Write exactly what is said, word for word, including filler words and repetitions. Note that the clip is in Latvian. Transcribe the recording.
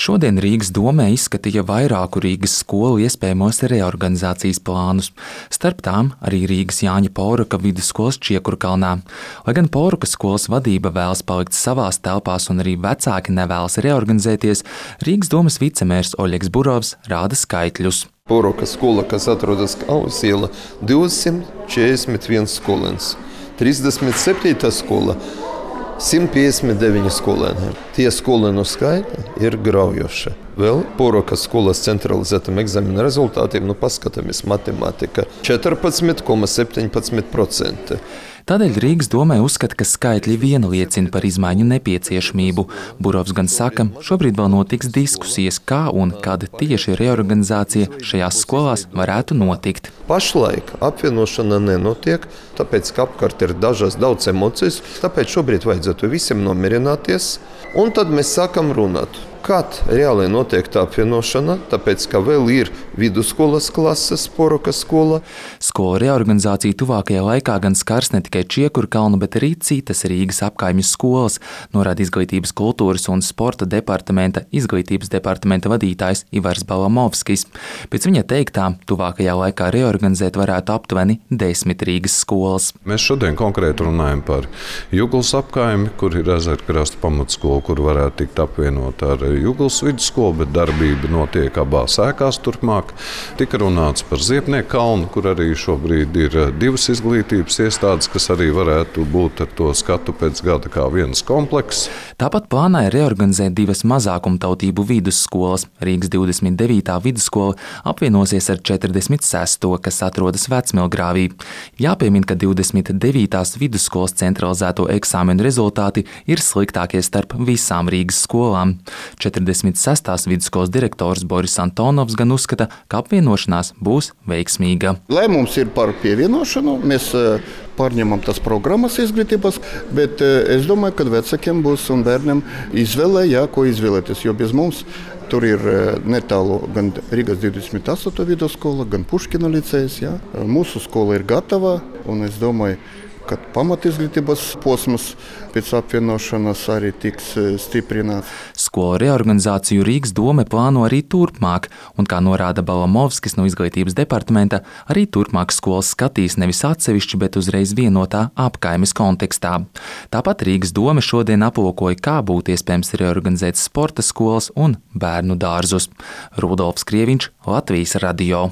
Šodien Rīgas domē izskatīja vairāku Rīgas skolu iespējamos reorganizācijas plānus. Starp tām arī Rīgas Jāņa Pauruka vidusskolas Čiekurkalnā. Lai gan Pauruka skolas vadība vēlas palikt savās telpās un arī vecāki nevēlas reorganizēties, Rīgas domas vicemērs Oļegs Burovs rāda skaitļus. Pauruka skola, kas atrodas Kaunas iela, divsimt četrdesmit viens skolēns. trīsdesmit septītā skola simt piecdesmit deviņi skolēni. Tie skolēnu skaita ir graujoši. Vēl Pauruka skolas centralizētam eksāmena rezultātiem, nu paskatāmies matemātika, četrpadsmit komats septiņpadsmit procenti. Tādēļ Rīgas domē uzskata, ka skaitļi viena liecina par izmaiņu nepieciešamību. Burovs gan saka, šobrīd vēl notiks diskusijas, kā un kad tieši reorganizācija šajās skolās varētu notikt. Pašlaik apvienošana nenotiek, tāpēc, ka apkārt ir dažas daudz emocijas, tāpēc šobrīd vajadzētu visiem nomierināties, un tad mēs sākam runāt. Kad reāli notiek tā apvienošana, tāpēc, ka vēl ir vidusskolas klases Pauruka skola. Skolu reorganizācija tuvākajā laikā gan skars ne tikai Čiekurkalnu, bet arī citas Rīgas apkaimju skolas, norāda Izglītības, kultūras un sporta departamenta izglītības departamenta vadītājs Ivars Balamovskis. Pēc viņa teiktā, tuvākajā laikā reorganizēt varētu aptuveni desmit Rīgas skolas. Mēs šodien konkrēti runājam par Juglas apkaimi, kur ir Ezerkrasta pamatskola, kur varētu tikt apvienot ar Juglas vidusskolu, bet darbība notiek abās ēkās turpmāk. Tika runāts par Ziepnieku kalnu, kur arī šobrīd ir divas izglītības iestādes, kas arī varētu būt ar to skatu pēc gada kā viens komplekss. Tāpat plānā ir reorganizēt divas mazākumtautību vidusskolas. Rīgas divdesmit devītā vidusskola apvienosies ar četrdesmit sesto, kas atrodas Vecmilgrāvī. Jāpiemina, ka divdesmit devītās vidusskolas centralizēto eksāmenu rezultāti ir sliktākie starp visām Rīgas skolām. četrdesmit sestās vidusskolas direktors Boris Antonovs gan uzskata, ka apvienošanās būs veiksmīga. Lēmums ir par pievienošanu, mēs pārņemam tās programmas izglītības, bet es domāju, ka vecākiem būs un bērniem izvēlē, jā, ko izvēlēties, jo bez mums tur ir netālu gan Rīgas divdesmit astotā vidusskola, gan Puškina licejs. Jā. Mūsu skola ir gatava, un es domāju, ka pamatizglītības posms pēc apvienošanas arī tiks stiprināts. Skolu reorganizāciju Rīgas dome plāno arī turpmāk, un, kā norāda Balamovskis no Izglītības departamenta, arī turpmāk skolas skatīs nevis atsevišķi, bet uzreiz vienotā apkaimes kontekstā. Tāpat Rīgas dome šodien aplūkoja, kā būtu iespējams reorganizēt sporta skolas un bērnu dārzus. Rudolfs Krieviņš, Latvijas radio.